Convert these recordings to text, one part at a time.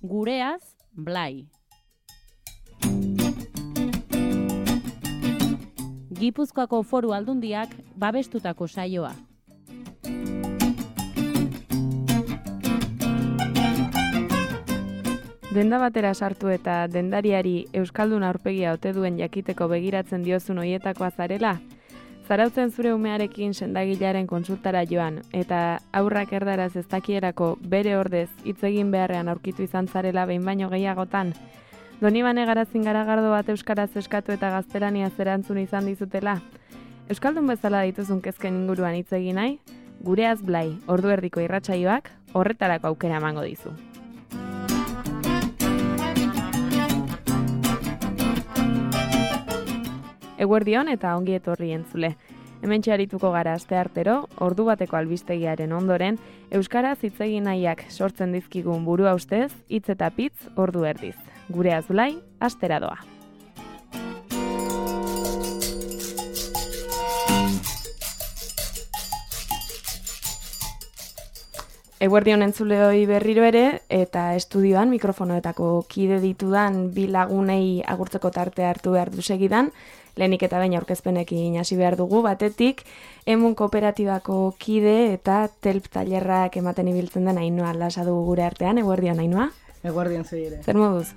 Gureaz, Blai. Gipuzkoako Foru Aldundiak babestutako saioa. Denda batera sartu eta dendariari euskaldun aurpegia ote duen jakiteko begiratzen diozun hoietakoa zarela? Zarautzen zure umearekin sendagilaren konsultara joan eta aurrak erdaraz ez dakierako bere ordez hitz egin beharrean aurkitu izan zarela behin baino gehiagotan? Donibane Garazin garagardo bat euskaraz eskatu eta gaztelaniaz erantzun izan dizutela? Euskaldun bezala dituzun kezken inguruan hitz egin nahi? Gureaz Blai, ordu erdiko irratsaioak horretarako aukera emango dizu. Eguerdion eta ongi etorri entzule. Hementxe arituko gara asteartero, ordu bateko albistegiaren ondoren, euskaraz hitz egin nahiak sortzen dizkigun burua ustez, hitz eta pitz ordu erdiz. Gureaz Blai, astera doa. Eguerdion entzuleoi berriro ere, eta estudioan mikrofonoetako kide ditudan bi lagunei agurtzeko tartea hartu behar du segidan, lehenik eta baina aurkezpenekin hasi behar dugu, batetik, Emun Kooperatibako kide eta telp tailerrak ematen ibiltzen den Ainhoa Lasa dugu gure artean. Eguerdion, Ainhoa? Eguerdion zu ere. Zer moduz?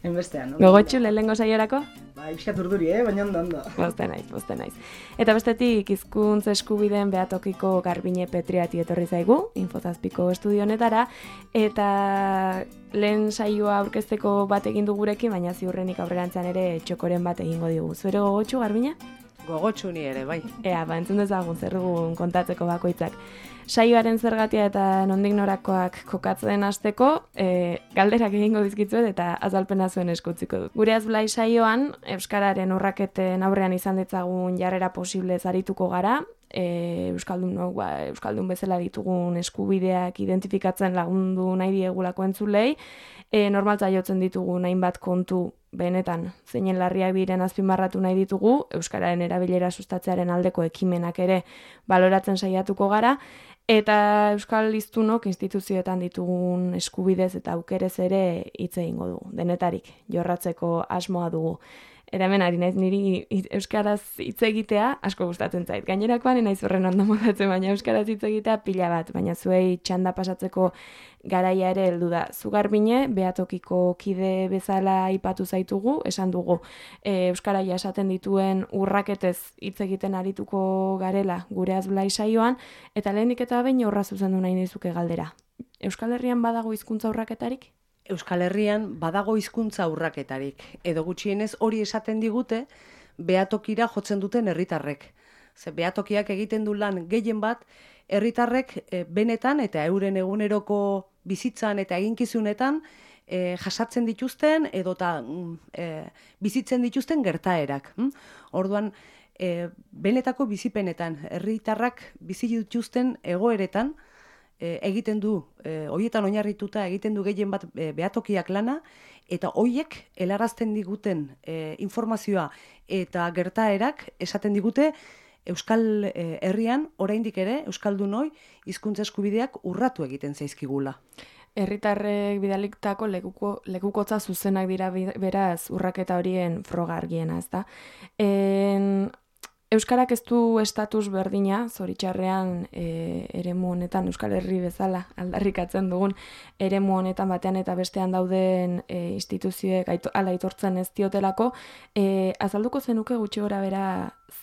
Hainbestean, no? Gogotxu lehenengo saiorako? Ba, ibiskat urduri, baina ondo. Poste naiz. Eta bestetik, hizkuntz eskubideen Beatokiko Garbine Petriati etorri zaigu, Infozazpiko estudio honetara, eta lehen saioa aurkezteko bat egin du gurekin, baina ziurrenik aurrerantzean ere txokoren bat egingo digu. Zure gogotxu, Garbine? Gogotxu ni ere, bai. Ea, entzun dezagun zer dugun kontatzeko bakoitzak. Saioaren zergatia eta nondik norakoak kokatzen hasteko, galderak egingo dizkitzuet eta azalpena zuen eskutziko dut. Gureaz Blai saioan, euskararen urraketen aurrean izan ditzagun jarrera posible zarituko gara, euskaldun bezala ditugun eskubideak identifikatzen lagundu nahi diegulako entzulei, normaltza jotzen ditugun hainbat kontu benetan zeinen larriak diren azpimarratu nahi ditugu, euskararen erabilera sustatzearen aldeko ekimenak ere baloratzen saiatuko gara, eta euskal hiztunok instituzioetan ditugun eskubidez eta aukerez ere hitz egingo dugu, denetarik jorratzeko asmoa dugu. Eta hemen ari naiz niri euskaraz hitz egitea asko gustatzen zait. Gainerakoan naiz horren ondo modatzen, baina euskaraz hitz egitea pila bat, baina zuei txanda pasatzeko garaia ere heldu da. Zu Garbine, Beatokiko kide bezala aipatu zaitugu, esan dugu euskara jasaten dituen urraketez hitz egiten arituko garela Gureaz Blai saioan, eta lehenik eta behin horra zuzendu nahi nizuke galdera. Euskal Herrian badago hizkuntza urraketarik? Euskal Herrian badago hizkuntza urraketarik, edo gutxienez hori esaten digute beatokira jotzen duten herritarrek. Ze beatokiak egiten du lan gehien bat, herritarrek benetan eta euren eguneroko bizitzan eta eginkizunetan jasatzen dituzten edota bizitzen dituzten gertaerak. Orduan, benetako bizipenetan, herritarrak bizi dituzten egoeretan, egiten du, horietan oinarrituta egiten du gehien bat beatokiak lana, eta horiek helarazten diguten informazioa eta gertaerak esaten digute Euskal Herrian oraindik ere euskaldunoi hizkuntza eskubideak urratu egiten zaizkigula. Herritarrek bidalitako lekukotza zuzenak dira beraz urraketa horien froga argiena, ezta? Euskarak ez du estatus berdina, zoritxarrean eremu honetan, Euskal Herri bezala aldarrikatzen dugun eremu honetan batean eta bestean dauden instituzioek ala aitortzen ez diotelako, azalduko zenuke gutxi gora bera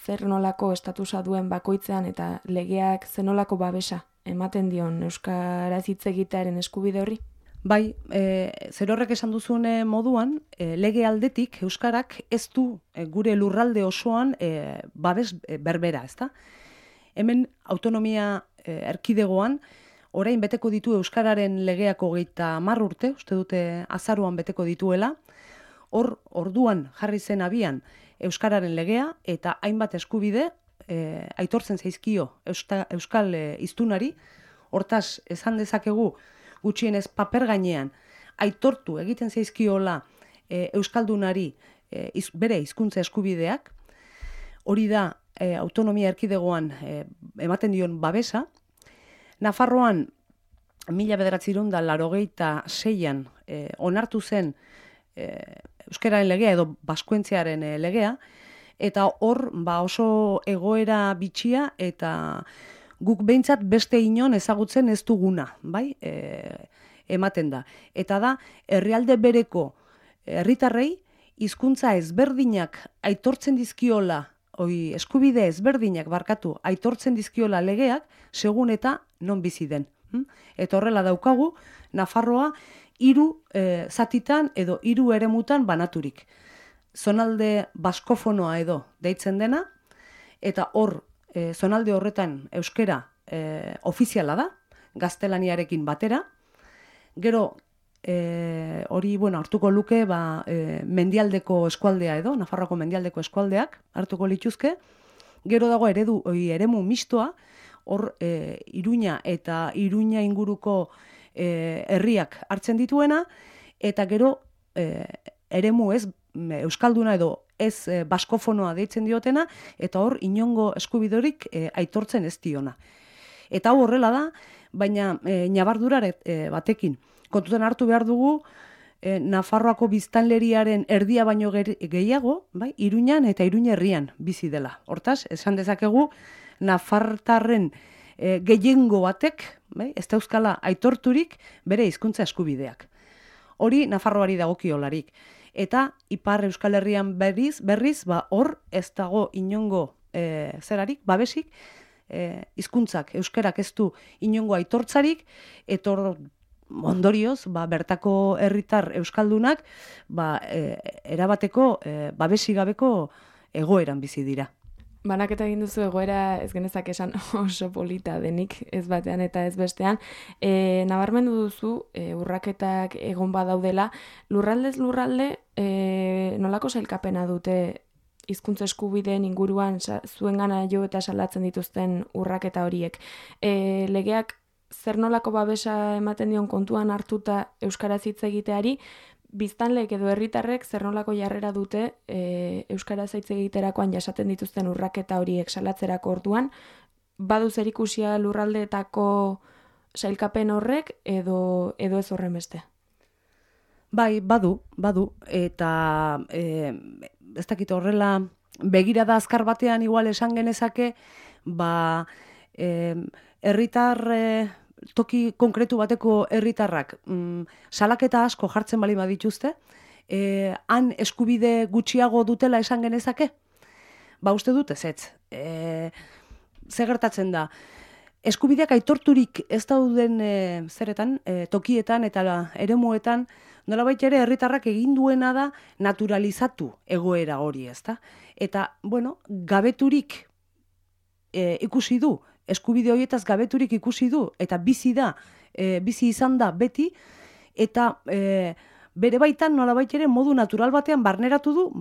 zer nolako estatusa duen bakoitzean eta legeak zenolako babesa ematen dion euskaraz hitz egitearen eskubide horri? Bai, zer horrek esan duzune moduan, lege aldetik euskarak ez du gure lurralde osoan babes berbera, ezta? Hemen autonomia erkidegoan orain beteko ditu euskararen legeak 30 urte, uste dute azaruan beteko dituela. Orduan jarri zen abian euskararen legea eta hainbat eskubide aitortzen zaizkio euskal hiztunari. Hortaz esan dezakegu gutxienez paper gainean aitortu egiten zaizkiola euskaldunari bere hizkuntza eskubideak. Hori da autonomia erkidegoan ematen dion babesa. Nafarroan 1986an onartu zen euskararen legea edo baskuentziaren legea, eta hor oso egoera bitxia eta guk behintzat beste inon ezagutzen ez duguna, bai? Ematen da. Eta da, herrialde bereko herritarrei hizkuntza ezberdinak aitortzen dizkiola, eskubide ezberdinak aitortzen dizkiola legeak, segun eta non bizi den. Eta horrela daukagu, Nafarroa 3 zatitan edo 3 eremutan banaturik. Zonalde baskofonoa edo deitzen dena, eta hor, zonalde horretan euskera ofiziala da, gaztelaniarekin batera. Gero, hori, hartuko luke, mendialdeko eskualdea edo, Nafarroako mendialdeko eskualdeak hartuko lituzke. Gero dago eremu mistoa, hor Iruña eta Iruña inguruko herriak hartzen dituena, eta gero eremu ez euskalduna edo ez baskofonoa deitzen diotena, eta hor inongo eskubidorik aitortzen ez diona. Eta hau horrela da, baina ñabardurare batekin. Kontutan hartu behar dugu, Nafarroako biztanleriaren erdia baino gehiago, bai, Iruñan eta Iruña herrian bizi dela. Hortaz, esan dezakegu, nafartarren gehiengo batek, bai, ez da euskala aitorturik bere hizkuntza eskubideak. Hori Nafarroari dagokiolarik. Eta Ipar Euskal Herrian berriz, hor ez dago inongo zerarik, babesik, hizkuntzak euskerak ez du inongo aitortzarik, eta ondorioz, bertako herritar euskaldunak erabateko babesigabeko egoeran bizi dira. Banaketa egin duzu egoera ez genezak esan oso polita denik ez batean eta ez bestean. Nabarmendu duzu urraketak egon badaudela, lurraldez lurralde nolako sailkapena dute hizkuntza eskubideen inguruan zuengana jo eta salatzen dituzten urraketa horiek. Legeak zer nolako babesa ematen dion kontuan hartuta euskaraz hitz egiteari, biztanleek edo herritarrek zer nolako jarrera dute euskaraz hitz egiterakoan jasaten dituzten urraketa horiek salatzerako orduan, badu zerikusia lurraldeetako sailkapen horrek edo ez horren beste? Bai, badu, eta ez dakit horrela begirada azkar batean igual esan genezake, herritar toki konkretu bateko herritarrak salaketa asko jartzen bali badituzte, han eskubide gutxiago dutela esan genezake? Uste dut ez. Ze gertatzen da? Eskubideak aitorturik ez dauden tokietan eta eremuetan, nolabait ere herritarrak egin duena da naturalizatu egoera hori, ezta? Eta, gabeturik ikusi du, eskubide horietaz gabeturik ikusi du, eta bizi izan da beti, eta bere baitan nolabait ere modu natural batean barneratu du,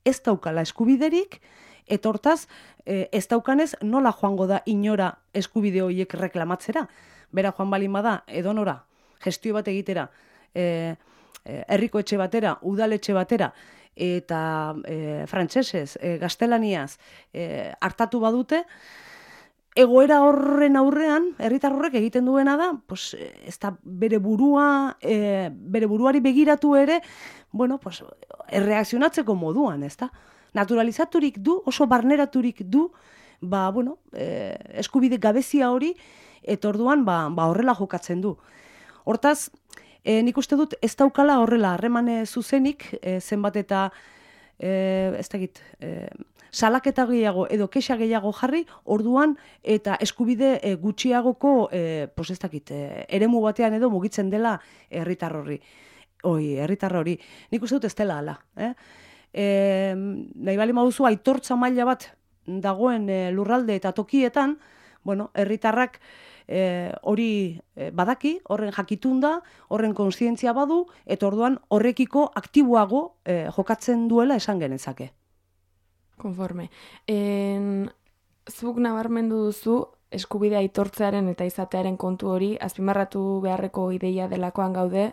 ez daukala eskubiderik, eta hortaz, ez daukanez nola joango da inora eskubide horiek reklamatzera. Bera joan balin bada, edonora, gestio bat egitera, herriko etxe batera, udaletxe batera, eta frantsesez, gaztelaniaz hartatu badute, egoera horren aurrean, herritar horrek egiten duena da, ez da bere buruari begiratu ere, erreakzionatzeko moduan, ez da? Naturalizaturik du, oso barneraturik du, eskubide gabezia hori, eta orduan horrela jokatzen du. Hortaz, nik uste dut ez daukala horrela harreman zuzenik, zenbat eta salaketa gehiago edo kexa gehiago jarri, orduan eta eskubide gutxiagoko eremu batean edo mugitzen dela herritar hori. Nik uste dut ez dela hala. Nahi bali maduzu aitortza maila bat dagoen lurralde eta tokietan, herritarrak hori badaki, horren jakitun da, horren kontzientzia badu, eta orduan horrekiko aktiboago jokatzen duela esan genezake. Konforme. Zuk nabarmendu duzu, eskubidea aitortzearen eta izatearen kontu hori azpimarratu beharreko ideia delakoan gaude,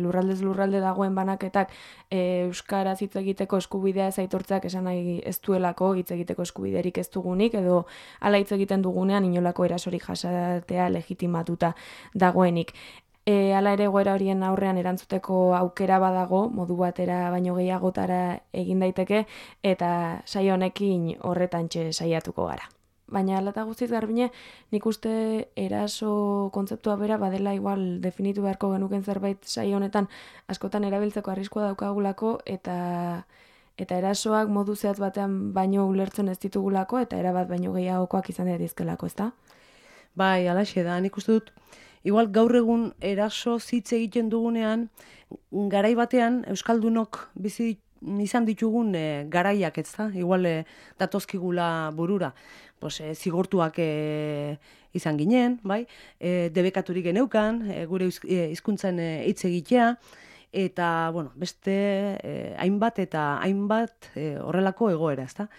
lurraldez lurralde dagoen banaketak euskaraz hitz egiteko eskubidea ez aitortzeak esan nahi ez duelako hitz egiteko eskubiderik ez dugunik, edo hala hitz egiten dugunean inolako erasorik jasatea legitimatuta dagoenik. Hala ere egoera horien aurrean erantzuteko aukera badago, modu batera baino gehiagotara egin daiteke, eta saio honekin horretantxe saiatuko gara. Baina hala eta guztiz Garbine, nik uste eraso kontzeptua bera badela igual definitu beharko genuken zerbait saio honetan askotan erabiltzeko arriskua daukagulako eta erasoak modu zehatz batean baino ulertzen ez ditugulako eta erabat baino gehiagokoak izan daitezkelako, ezta? Bai, halaxe da, nik uste dut, igual gaur egun eraso hitz egiten dugunean, garai batean Euskaldunok bizi izan ditugun garaiak, ezta? Igual datozkigula burura. Zigortuak izan ginen, bai? Debekaturik geneukan, gure hizkuntzan hitz egitea, eta, beste hainbat eta hainbat horrelako egoera, ezta?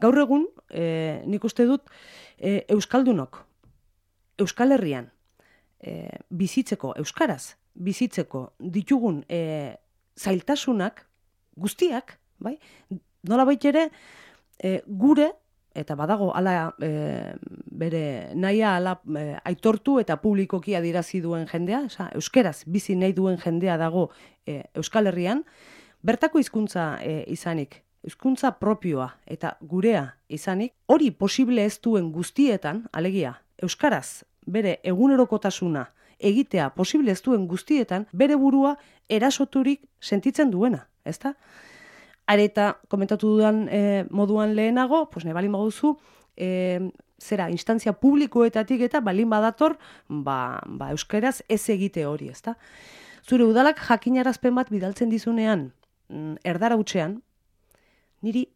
Gaur egun, nik uste dut, Euskaldunok, Euskal Herrian, bizitzeko, euskaraz, bizitzeko ditugun zailtasunak, guztiak, bai? Nolabait ere, gure, eta badago ala bere nahia ala aitortu eta publikoki adierazi duen jendea, euskeraz bizi nahi duen jendea dago Euskal Herrian, bertako hizkuntza izanik, hizkuntza propioa eta gurea izanik, hori posible ez duen guztietan, alegia, euskaraz bere egunerokotasuna egitea posible ez duen guztietan, bere burua erasoturik sentitzen duena, ezta? Areta, komentatu dudan moduan lehenago, nahi balin baduzu, instantzia publikoetatik eta balin badator, euskaraz ez egite hori, ezta? Zure udalak jakinarazpen bat bidaltzen dizunean, erdara hutsean, niri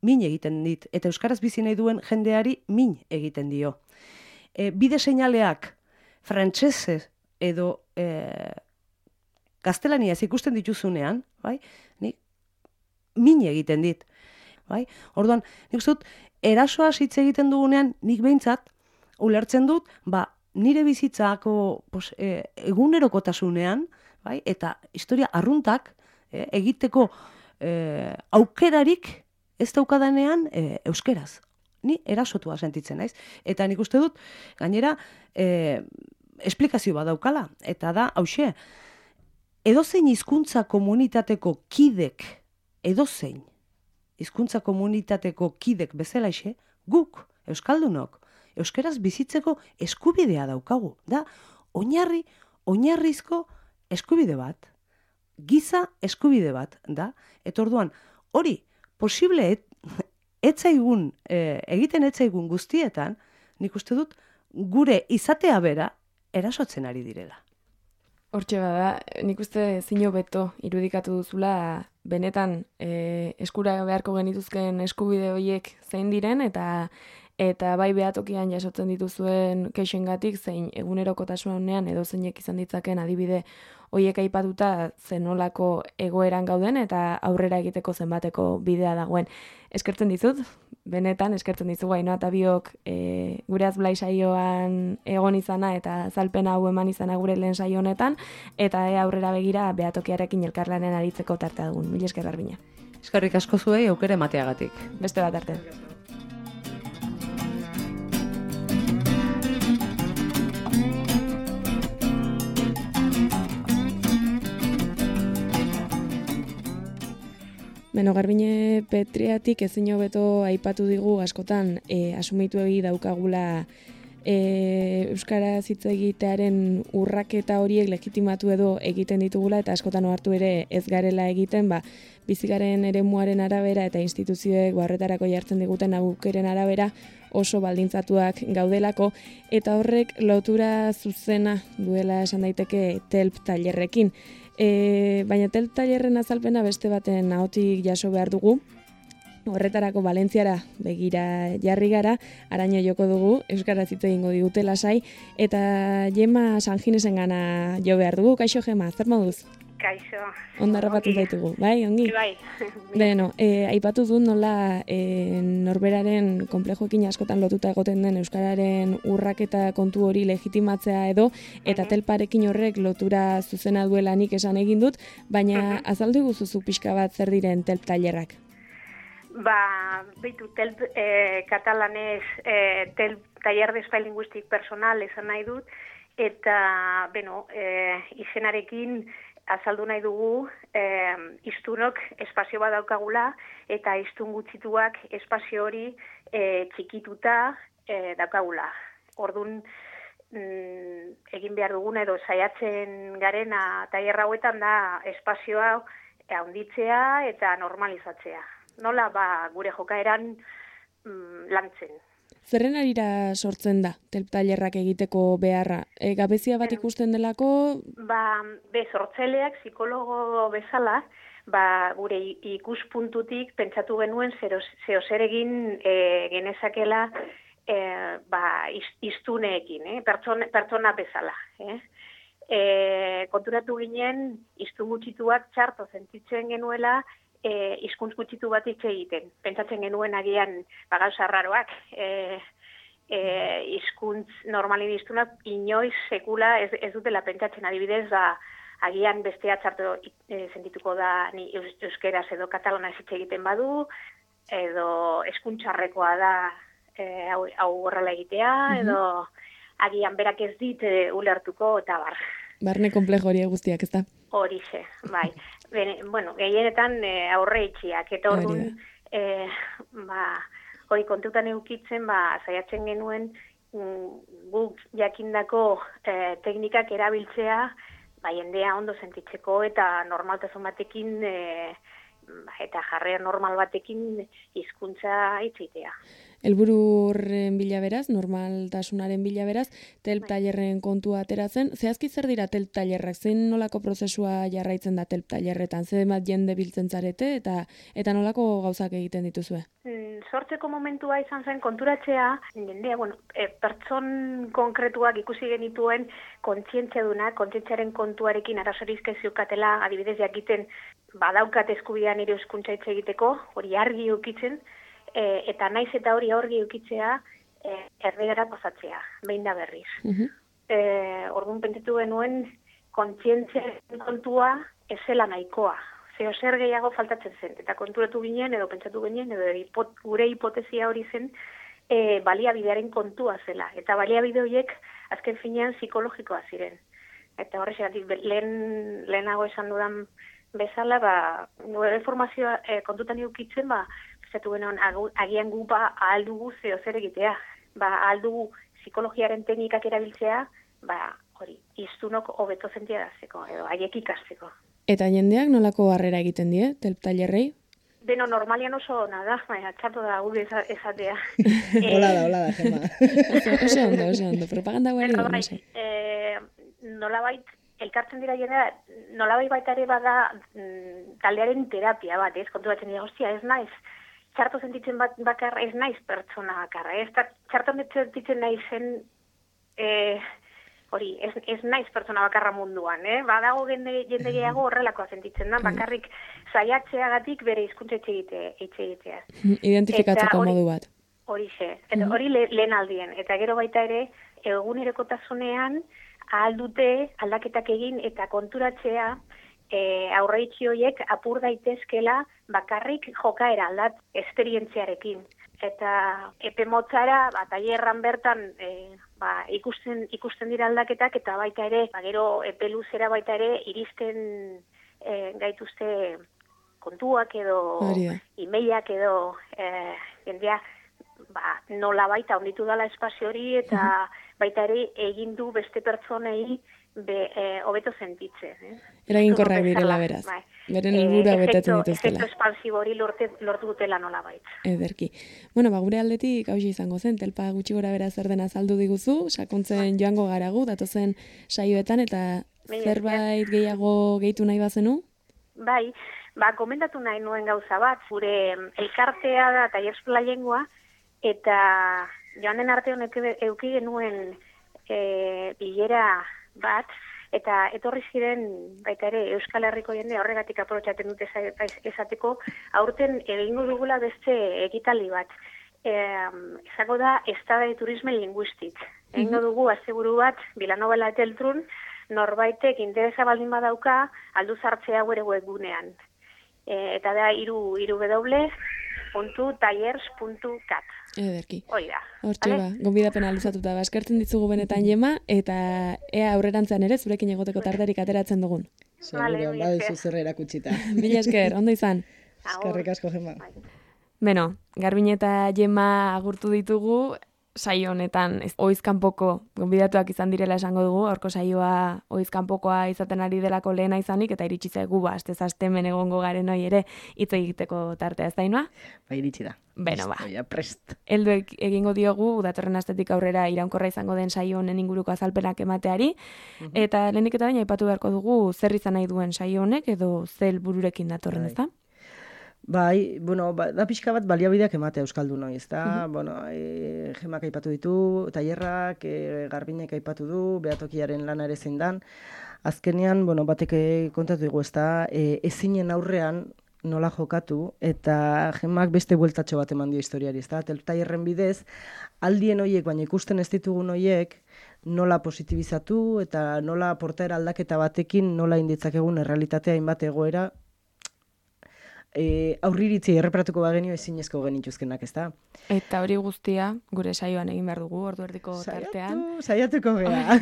min egiten dit, eta euskaraz bizi nahi duen jendeari min egiten dio. Bide seinaleak frantsesez edo gaztelaniaz ikusten dituzunean, bai, min egiten dit. Bai? Orduan, nik uste dut, erasoaz hitz egiten dugunean, nik behintzat, ulertzen dut, nire bizitzako egunerokotasunean, bai? Eta historia arruntak egiteko aukerarik ez daukadanean euskeraz. Ni erasotua sentitzen naiz. Eta nik uste dut, gainera, esplikazio bat daukala. Eta da, hauxe, edozein hizkuntza komunitateko kidek, edozein hizkuntza komunitateko kidek bezalaxe, guk, euskaldunok, euskeraz bizitzeko eskubidea daukagu. Da, oinarrizko eskubide bat, giza eskubide bat, da. Eta orduan, hori, posible egiten etzaigun guztietan, nik uste dut, gure izatea bera erasotzen ari direla. Hortxe bada, nik uste zino beto irudikatu duzula benetan eskura beharko genituzken eskubide horiek zein diren eta bai behatokian jasotzen dituzuen kexengatik zein egunerokotasunean edo zeinek izan ditzaken adibide horiek aipatuta zenolako egoeran gauden eta aurrera egiteko zenbateko bidea dagoen. Eskertzen dizut, benetan eskertzen dizugu Ainhoa eta biok gure Blai saioan egon izana eta azalpena hau eman izana gure lehen saio honetan eta aurrera begira behatokiarekin elkarlanen aritzeko tartea dugun. Mila esker Garbina. Eskerrik asko zuei aukera emateagatik. Beste bat arte. Beno, Garbine Petriatik ezin hobeto aipatu digu askotan asumitu egi daukagula euskaraz hitz egitearen urraketa horiek legitimatu edo egiten ditugula eta askotan ohartu ere ez garela egiten, bizigaren eremuaren arabera eta instituzioek horretarako jartzen diguten aukeren arabera oso baldintzatuak gaudelako eta horrek lotura zuzena duela esan daiteke TELP tailerrekin. Baina TELP tailerren azalpena beste baten ahotik jaso behar dugu. Horretarako Valentziara begira jarri gara, araño joko dugu, euskaraz hitz egingo digute lasai, eta Jema Sanginesengana jo behar dugu. Kaixo Jema, zer moduz? Kaixo. Ondarrapatu zaitugu, bai, ongi? Bai. Beno, aipatu du nola norberaren konplejoekin askotan lotuta egoten den euskararen urraketa kontu hori legitimatzea edo, eta telparekin horrek lotura zuzena duela nik esan egin dut, baina azaldu guzuzu pixka bat zer diren telp tailerrak? Beitu, telp katalanez telp taller de espai linguistik personal esan nahi dut, eta, izenarekin azaldu nahi dugu hiztunok espazio bat daukagula eta hiztun gutxituak espazio hori txikituta daukagula. Orduan egin behar duguna edo saiatzen garena tailer hauetan da espazio hau handitzea eta normalizatzea. Nola gure jokaeran lantzen. Zerren arira sortzen da telp tailerrak egiteko beharra? Gabezia bat ikusten delako? Sortzaileak psikologo bezala, gure ikuspuntutik pentsatu genuen zeo zer egin genezakela hiztuneekin, pertsona bezala. Konturatu ginen, hiztun gutxituak txarto sentitzen genuela, hizkuntz gutxitu bat hitz egiten. Pentsatzen genuen agian gauza arraroak. Hizkuntz normalin hiztunak inoiz sekula ez dutela pentsatzen, adibidez, agian bestea txarto sentituko da ni euskeraz edo katalana hitz egiten badu, edo eskuntxarrekoa da hau horrela egitea, edo agian berak ez dit ulertuko eta bar. Barne konplejo hori guztiak, ez da? Horixe, bai. Gehienetan aurre itxiak, eta orduan, hori kontutan eukitzen, saiatzen genuen guk jakindako teknikak erabiltzea, jendea ondo sentitzeko eta normaltasun batekin eta jarrera normal batekin hizkuntza hitzitea. Helburu horren bila beraz, normaltasunaren bila beraz, telp tailerren kontua atera zen. Zehazki zer dira telp tailerrak? Zein nolako prozesua jarraitzen da telp tailerretan? Zer bat jende biltzen zarete eta nolako gauzak egiten dituzue? Sortzeko momentua izan zen konturatzea, jendea, pertson konkretuak ikusi genituen kontzientziadunak, kontzientziaren kontuarekin arazorik ez ziukatela, adibidez jakiten badaukat eskubidea nire hizkuntza hitz egiteko, hori argi ukitzen, eta naiz eta hori ukitzea erregara pasatzea, behin da berriz. Orduan pentsatu genuen kontzientziaren kontua ez zela nahikoa. Zeo zer gehiago faltatzen zen, eta konturatu ginen, edo pentsatu ginen, edo gure hipotesia hori zen, baliabidearen kontua zela. Eta baliabide horiek azken finean psikologikoa ziren. Eta horrexegatik lehenago esan dudan bezala, nire formazioa kontutan eukitzen, pentsatu genuen agian gu ahal dugu zeo zer egitea. Ahal dugu psikologiaren teknikak erabiltzea, hori, hiztunok hobeto sentiarazteko, edo haiek ikasteko. Eta jendeak nolako harrera egiten die, telp tailerrei? Normalian oso ona da, txarto da gure esatea. Hola da, Gemma. Oso ondo, propaganda guari da, no sé. Nolabait, elkartzen dira jendea, nolabait baita ere bada taldearen terapia bat, kontu batzen dira, hostia, ez naiz, txarto sentitzen bakarra, ez naiz pertsona bakarra, txarto sentitzen naizen, hori, ez naiz pertsona bakarra munduan, badago jende gehiago horrelakoa sentitzen da, bakarrik saiatzeagatik bere hizkuntza hitz egitea. Identifikatzeko modu bat. Horixe, eta hori lehen aldien, eta gero baita ere, egunerokotasunean ahal dute aldaketak egin eta konturatzea aurreitzi horiek apur daitezkela bakarrik jokaera aldat esperientziarekin. Eta epe motzara, tailerran bertan ikusten dira aldaketak, eta baita ere, gero epe luzera baita ere, iristen gaituzte kontuak edo emailak edo jendea nola baita onditu dela espazio hori, eta baita ere egin du beste pertsonei hobeto sentitzen. Eraginkorrak direla beraz. Beren helburua betetzen dituztela. Efektu espansibo hori lortu dutela nola baita. Ederki. Gure aldetik hauxe izango zen, telpa gutxi gora bera zer dena azaldu diguzu, sakontzen joango garagu, datozen saioetan, eta zerbait gehiago gehitu nahi bazenu? Bai, komendatu nahi nuen gauza bat, gure elkartea da Tailer Eskola Lengua, eta joan den arte honek euki genuen bilera bat, eta etorri ziren baita ere Euskal Herriko jende horregatik aprobetxatzen dute esateko, aurten egingo dugula beste ekitaldi bat. Izango da Estada de Turisme Linguistik. Egingo dugu aseguru bat Vilanova la Geltrun, norbaitek interesa baldin badauka aldu sartzea gure webgunean. Eta da www.tallers.cat. Ederki. Hoi da. Hortxe ba, gonbidapena luzatuta ba. Eskertzen ditzugu benetan Jema, eta ea aurrerantzean ere zurekin egoteko tarterik ateratzen dugun. Seguruan, badizu zer erakutsita. Mila esker, ondo izan. Eskerrik asko, Jema. Beno, Garbin eta Jema agurtu ditugu, saio honetan oizkanpoko gonbidatuak izan direla esango dugu, horko saioa oizkanpokoa izaten ari delako lehena izanik, eta iritsi zaigu astez aste hemen egongo garen hori ere hitz egiteko tartea, ez da Ainhoa? Ba, iritsi da. Beno, ba. Prest. Heldu egingo diogu, datorren astetik aurrera iraunkorra izango den saio honen inguruko azalpenak emateari, eta lehenik eta baina aipatu beharko dugu zer izan nahi duen saio honek, edo zer helbururekin datorren, ez da? Bai, bueno, da pixka bat baliabideak ematea euskaldun hori, ezta? Bueno, Jemak aipatu ditu, tailerrak, Garbinek aipatu du, behatokiaren lana ere zein dan. Azkenean, bueno, batek kontatu dugu, ezta? Ezinen aurrean nola jokatu, eta Jemak beste bueltatxo bat eman dio historiari, ezta? Tailerren bidez, aldien horiek, baina ikusten ez ditugun horiek, nola positibizatu, eta nola portaera aldaketa batekin, nola inditzakegun errealitatea hainbat egoera, aurriritzi erreparatuko bagenio ezinezko genituzkenak, ezta? Eta hori guztia gure saioan egin behar dugu, ordu erdiko tartean. Saiatuko gea.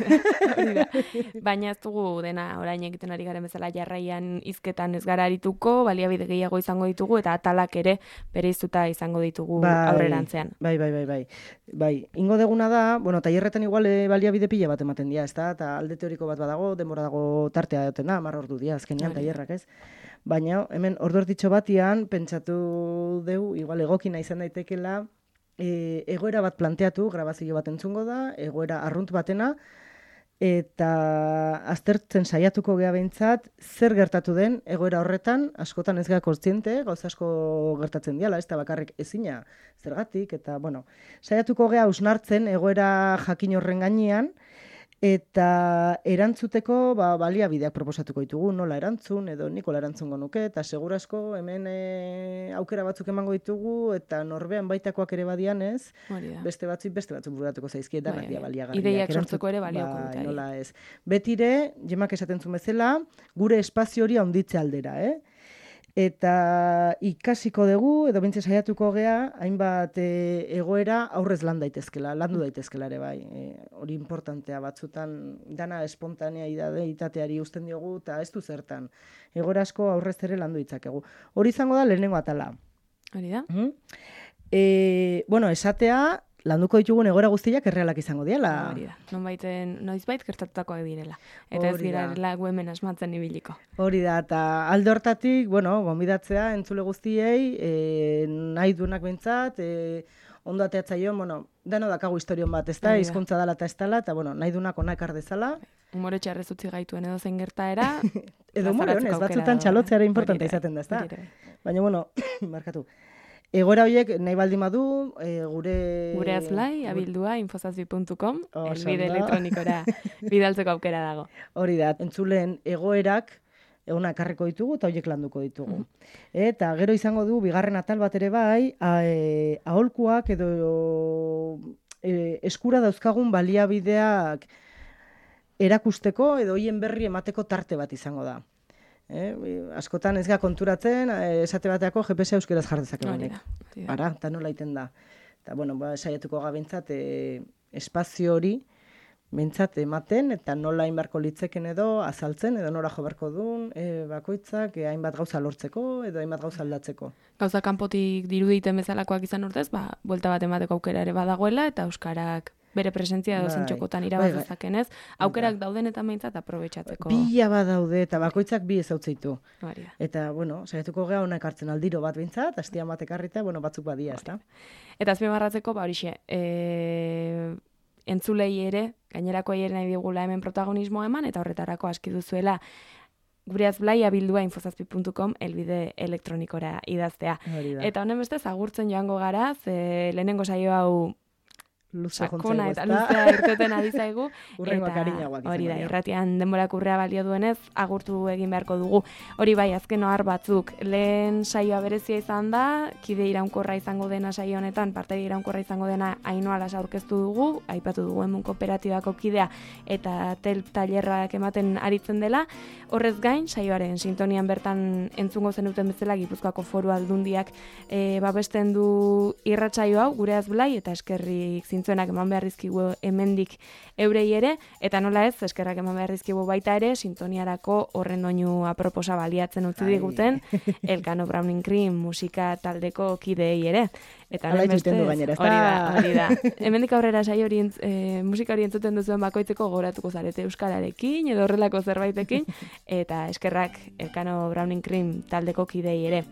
Baina ez dugu dena orain egiten ari garen bezala jarraian hizketan ez gara arituko, baliabide gehiago izango ditugu, eta atalak ere bereiztuta izango ditugu aurrerantzean. Bai, ingo deguna da, bueno, tailerretan igual baliabide pila bat ematen dira, ezta? Eta alde teoriko bat badago, denbora dago tartea duten da, 10 ordu dira, azkenean tailerrak, ez? Baina, hemen ordu erditxo batian, pentsatu dugu, igual egokina izan daitekela, egoera bat planteatu, grabazio bat entzungo da, egoera arrunt batena, eta aztertzen saiatuko gea behintzat, zer gertatu den egoera horretan, askotan ez gea kontziente, gauza asko gertatzen diala, ez da bakarrik ezina zergatik, eta, bueno, saiatuko gea hausnartzen egoera jakin horren gainean, eta erantzuteko baliabideak proposatuko ditugu, nola erantzun, edo nikola erantzungo nuke, eta segurasko hemen aukera batzuk emango ditugu, eta norbean baitakoak ere badian ez, beste batzuk bururatuko zaizkie, danak dia baliagarriak. Ideiak sortzeko ere balioko dute. Nola ez. Betire, Jemak esaten zuen bezala, gure espazio hori handitze aldera, Eta ikasiko dugu, edo bintze saiatuko gea, hainbat egoera aurrez landu daitezkela ere bai. Hori importantea batzutan, dana espontaneitateari usten diogu, eta ez du zertan. Egoera asko aurrez ere landu ditzakegu. Hori izango da lehenengo atala. Hori da? Bueno, esatea, landuko ditugun egoera guztiak errealak izango diela. Hori da, noizbait gertatutakoak direla. Eta ez direla hemen asmatzen ibiliko. Hori da, eta alde hortatik, bueno, gonbidatzea entzule guztiei, nahi duenak behintzat, ondo ateatzaion, bueno, dano dakagu historion bat, ez da, hizkuntza dala eta ez dala, eta bueno, nahi duenak ona ekar dezala. Umore txarrez utzi gaituen edo zein gertaera. Edo umore honez, batzutan txalotzeara importante izaten da, ez da. Baina, bueno, markatu. Egoera horiek nahi baldin badu, gure azlai, abildua, infosazpi.com, elbide elektronikora bidaltzeko aukera dago. Hori da, entzuleen egoerak eguna ekarriko ditugu eta horiek landuko ditugu. Eta gero izango du, bigarren atal bat ere bai, aholkuak edo eskura dauzkagun baliabideak erakusteko edo hoien berri emateko tarte bat izango da. Askotan ez ga konturatzen, esate bateako GPS euskeraz jardezakegunek. Ara, eta nola iten da. Eta, bueno, saiatuko gabintzat espazio hori bintzat ematen, eta nola hainbarko litzeken edo azaltzen, edo nora jo beharko duen, bakoitzak hainbat gauza lortzeko, edo hainbat gauza aldatzeko. Gauza kanpotik diruditen bezalakoak izan urtez, buelta bat emateko aukera ere badagoela, eta euskarak bere presentzia edo zentxokotan irabazazaken ez, aukerak dauden eta meintzat aprobetxatzeko. Pila bat daude, eta bakoitzak bi ezautzeitu. Eta, bueno, saiatuko gea honak hartzen aldiro bat bintzat, hastian bat ekarrita, bueno, batzuk badia, ez da. Eta azpimarratzeko, horixe, entzulei ere, gainerakoei ere nahi digula hemen protagonismoa eman, eta horretarako aski duzuela gure azblai abildua infosazpi.com elbide elektronikora idaztea. Eta honen bestez, agurtzen joango gara, lehenengo saio hau sakona eta luzea irteten ari zaigu. Urrengoak arinagoak izango hori da, dira. irratian denborak urrea balio duenez, agurtu egin beharko dugu. Hori bai, azken ohar batzuk, lehen saioa berezia izan da, kide iraunkorra izango dena saio honetan, parteri iraunkorra izango dena Ainhoa Lasa aurkeztu dugu, aipatu dugu hemen kooperatibako kidea eta tailerrak ematen aritzen dela. Horrez gain, saioaren sintonian bertan entzungo zenuten bezala Gipuzkoako Foru Aldundiak babesten du irratsaio hau, Gureaz Blai, eta eskerrik zintzuenak eman behar dizkigu hemendik eurei ere, eta nola ez, eskerrak eman behar dizkigu baita ere, sintoniarako horren doinu aproposa baliatzen utzi diguten, Elkano Browning Cream musika taldeko kideei ere. Eta Hala itxuten du gainera, ez hori da. Hemendik aurrera saio hori musika hori entzuten duzuen bakoitzeko gogoratuko zarete euskararekin edo horrelako zerbaitekin, eta eskerrak Elkano Browning Cream taldeko kideei ere.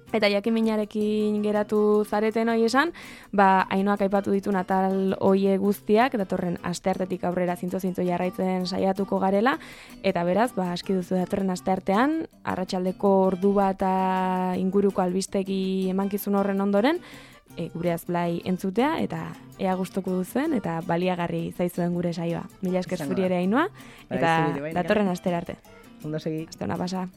Eta jakiminarekin geratu zareten hoi esan, Ainhoak aipatu ditu atal hoie guztiak, datorren asteartetik aurrera zintzo jarraitzen saiatuko garela, eta beraz, aski duzu datorren asteartean, arratsaldeko ordu bat inguruko albistegi emankizun horren ondoren, Gureaz Blai entzutea, eta ea gustuko duzuen, eta baliagarri zaizuen gure saioa. Mila esker zuri ere Ainhoa, eta datorren astera arte. Ondo segi. Aste ona pasa.